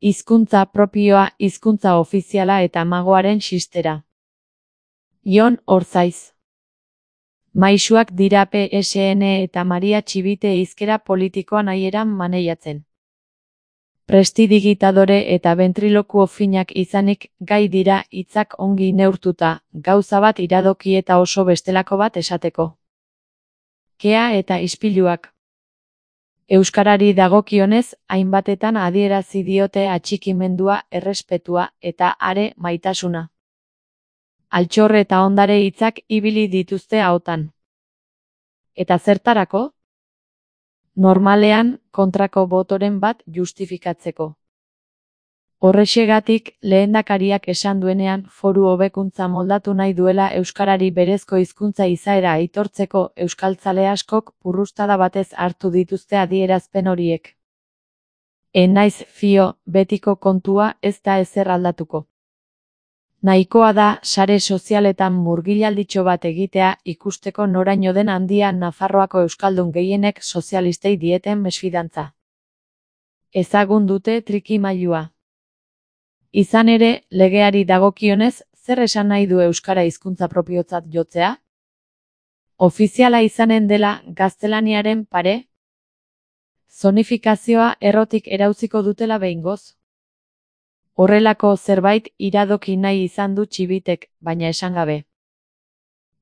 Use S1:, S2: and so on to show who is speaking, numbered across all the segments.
S1: Hizkuntza propioa, hizkuntza ofiziala eta magoaren xistera. Jon Orzaiz. Maisuak dira PSN eta Maria Txibite hizkera politikoa nahieran maneiatzen. Prestidigitadore eta ventrilokuo finak izanik gai dira hitzak ongi neurtuta, gauza bat iradoki eta oso bestelako bat esateko. Kea eta ispiluak. Euskarari dagokionez, hainbatetan adierazi diote atxikimendua, errespetua eta are maitasuna. Altxor eta ondare hitzak ibili dituzte ahotan. Eta zertarako? Normalean, kontrako botoren bat justifikatzeko. Horrexegatik, lehendakariak esan duenean foru hobekuntza moldatu nahi duela euskarari berezko hizkuntza izaera aitortzeko euskaltzale askok purrustada batez hartu dituzte adierazpen horiek. Naiz fio, betiko kontua ez da ezer aldatuko. Nahikoa da sare sozialetan murgilalditxo bat egitea ikusteko noraino den handia Nafarroako euskaldun gehienek sozialistei dieten mesfidantza. Ezagun dute trikimailua. Izan ere, legeari dagokionez, zer esan nahi du euskara hizkuntza propiotzat jotzea? Ofiziala izanen dela gaztelaniaren pare? Zonifikazioa errotik erauziko dutela behingoz? Horrelako zerbait iradoki nahi izan du Txibitek, baina esan gabe.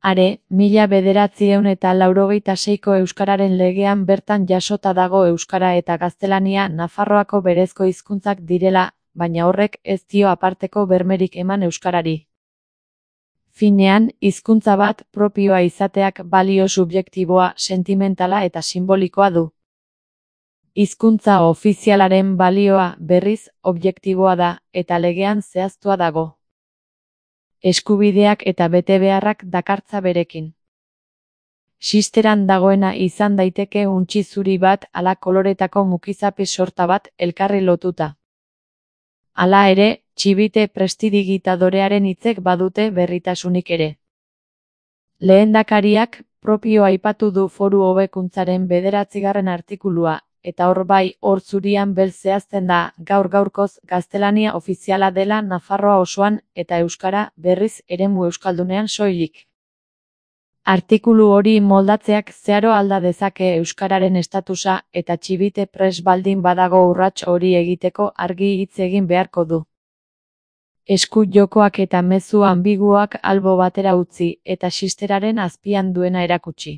S1: Are, 1986ko euskararen legean bertan jasota dago euskara eta gaztelania Nafarroako berezko hizkuntzak direla, baina horrek ez dio aparteko bermerik eman euskarari. Finean, hizkuntza bat propioa izateak balio subjektiboa, sentimentala eta simbolikoa du. Hizkuntza ofizialaren balioa, berriz, objektiboa da, eta legean zehaztua dago. Eskubideak eta betebeharrak dakartza berekin. Xisteran dagoena izan daiteke untxi zuri bat ala koloretako mukizapi sorta bat elkarri lotuta. Hala ere, Txibite prestidigitadorearen hitzek badute berritasunik ere. Lehendakariak propio aipatu du foru hobekuntzaren 9. artikulua, eta hor bai, hor zurian bel zehazten da, gaur-gaurkoz gaztelania ofiziala dela Nafarroa osoan eta euskara berriz eremu euskaldunean soilik. Artikulu hori moldatzeak zeharo alda dezake euskararen estatusa eta Txibite pres baldin badago urrats hori egiteko argi hitz egin beharko du. Esku jokoak eta mezu ambiguoak albo batera utzi eta xisteraren azpian duena erakutsi.